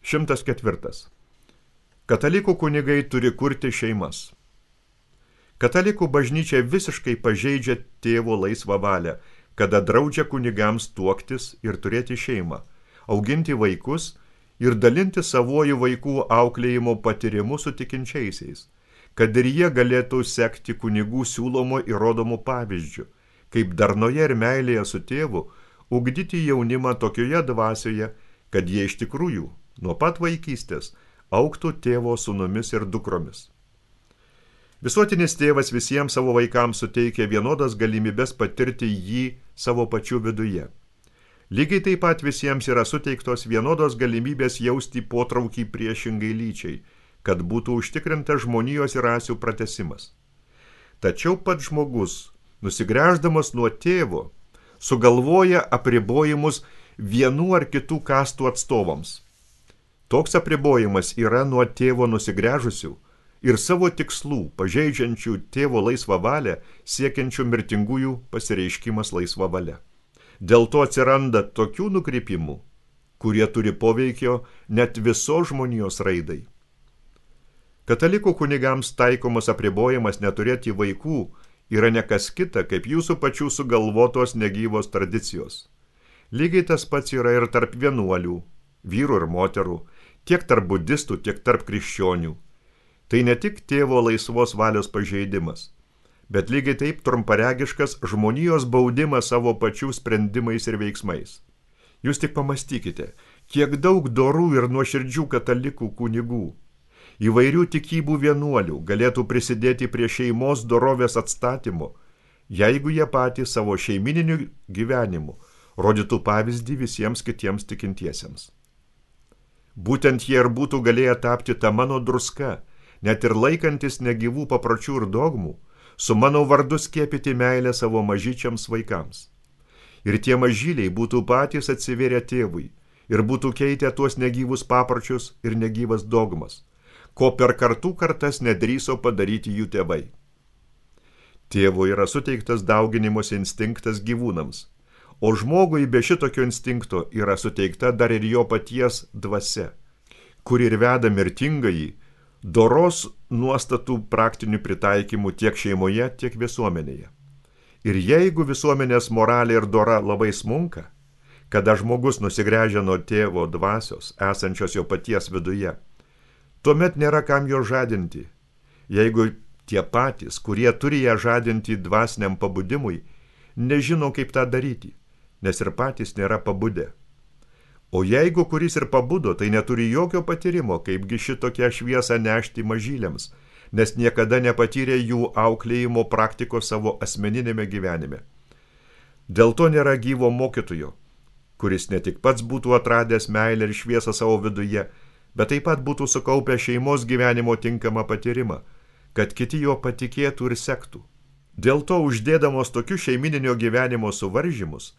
104. Katalikų kunigai turi kurti šeimas. Katalikų bažnyčia visiškai pažeidžia tėvo laisvą valią, kada draudžia kunigams tuoktis ir turėti šeimą, auginti vaikus ir dalinti savuoju vaikų auklėjimo patyrimu su tikinčiaisiais, kad ir jie galėtų sekti kunigų siūlomo įrodomų pavyzdžių, kaip darnoje ir meilėje su tėvu ugdyti jaunimą tokioje dvasioje, kad jie iš tikrųjų nuo pat vaikystės augtų tėvo sūnumis ir dukromis. Visuotinis tėvas visiems savo vaikams suteikia vienodas galimybės patirti jį savo pačių viduje. Lygiai taip pat visiems yra suteiktos vienodos galimybės jausti potraukį priešingai lyčiai, kad būtų užtikrintas žmonijos ir rasių pratęsimas. Tačiau pats žmogus, nusigręždamas nuo tėvo, sugalvoja apribojimus vienų ar kitų kastų atstovams. Toks apribojimas yra nuo tėvo nusigręžusių ir savo tikslų, pažeidžiančių tėvo laisvą valią, siekiančių mirtingųjų pasireiškimas laisva valia. Dėl to atsiranda tokių nukrypimų, kurie turi poveikio net visos žmonijos raidai. Katalikų kunigams taikomas apribojimas neturėti vaikų yra ne kas kita, kaip jūsų pačių sugalvotos negyvos tradicijos. Lygiai tas pats yra ir tarp vienuolių, vyrų ir moterų, tiek tarp budistų, tiek tarp krikščionių. Tai ne tik tėvo laisvos valios pažeidimas, bet lygiai taip trumparegiškas žmonijos baudimas savo pačių sprendimais ir veiksmais. Jūs tik pamastykite, kiek daug dorų ir nuoširdžių katalikų kunigų, įvairių tikybų vienuolių galėtų prisidėti prie šeimos dorovės atstatymo, jeigu jie patys savo šeimininiu gyvenimu rodytų pavyzdį visiems kitiems tikintiesiems. Būtent jie ir būtų galėję tapti tą mano druska, net ir laikantis negyvų papročių ir dogmų, su mano vardu skiepyti meilę savo mažyčiams vaikams. Ir tie mažyliai būtų patys atsivėrę tėvui ir būtų keitę tuos negyvus papročius ir negyvas dogmas, ko per kartų kartas nedrįso padaryti jų tėvai. Tėvo yra suteiktas dauginimosi instinktas gyvūnams, o žmogui be šitokio instinkto yra suteikta dar ir jo paties dvasia, kuri ir veda mirtingąjį doros nuostatų praktinių pritaikymų tiek šeimoje, tiek visuomenėje. Ir jeigu visuomenės moralė ir dora labai smunka, kada žmogus nusigręžia nuo tėvo dvasios, esančios jo paties viduje, tuomet nėra kam jo žadinti, jeigu tie patys, kurie turi ją žadinti dvasiniam pabudimui, nežino kaip tą daryti, nes ir patys nėra pabudę. O jeigu kuris ir pabudo, tai neturi jokio patyrimo, kaipgi šitokią šviesą nešti mažyliams, nes niekada nepatyrė jų auklėjimo praktikos savo asmeninėme gyvenime. Dėl to nėra gyvo mokytojo, kuris ne tik pats būtų atradęs meilę ir šviesą savo viduje, bet taip pat būtų sukaupę šeimos gyvenimo tinkamą patyrimą, kad kiti jo patikėtų ir sektų. Dėl to uždėdamos tokių šeimininio gyvenimo suvaržymus,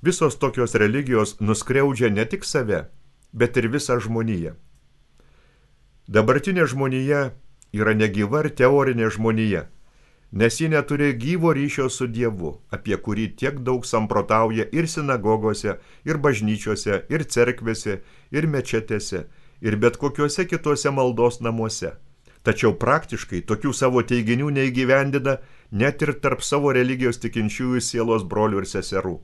visos tokios religijos nuskriaudžia ne tik save, bet ir visą žmoniją. Dabartinė žmonija yra negyva ir teorinė žmonija, nes ji neturi gyvo ryšio su Dievu, apie kurį tiek daug samprotauja ir sinagogose, ir bažnyčiose, ir cerkvėse, ir mečetėse, ir bet kokiuose kituose maldos namuose. Tačiau praktiškai tokių savo teiginių neįgyvendina net ir tarp savo religijos tikinčiųjų sielos brolių ir seserų.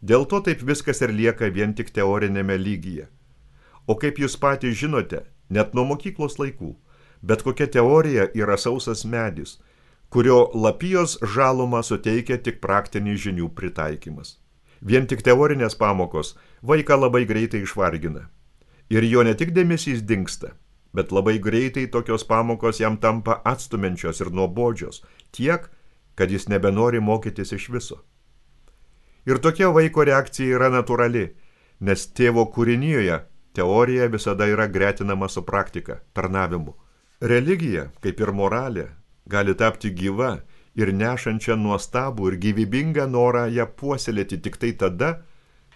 Dėl to taip viskas ir lieka vien tik teorinėme lygyje. O kaip jūs patys žinote, net nuo mokyklos laikų, bet kokia teorija yra sausas medis, kurio lapijos žalumą suteikia tik praktinį žinių pritaikymas. Vien tik teorinės pamokos vaiką labai greitai išvargina. Ir jo ne tik dėmesys dingsta, bet labai greitai tokios pamokos jam tampa atstumiančios ir nuobodžios, tiek, kad jis nebenori mokytis iš viso. Ir tokia vaiko reakcija yra natūrali, nes tėvo kūrinijoje teorija visada yra gretinama su praktika, tarnavimu. Religija, kaip ir moralė, gali tapti gyva ir nešančia nuostabų ir gyvybingą norą ją puoselėti tik tai tada,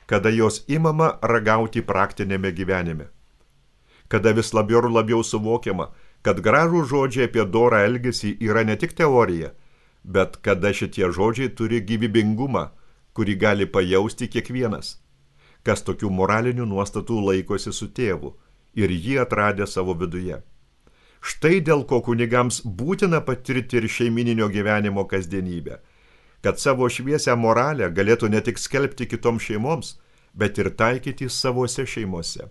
kada jos imama ragauti praktinėme gyvenime. Kada vis labiau ir labiau suvokiama, kad gražų žodžiai apie dorą elgesį yra ne tik teorija, bet kada šitie žodžiai turi gyvybingumą, kurį gali pajausti kiekvienas, kas tokių moralinių nuostatų laikosi su tėvu ir jį atradę savo viduje. Štai dėl ko kunigams būtina patirti ir šeimininio gyvenimo kasdienybę, kad savo šviesią moralę galėtų ne tik skelbti kitoms šeimoms, bet ir taikyti savose šeimose.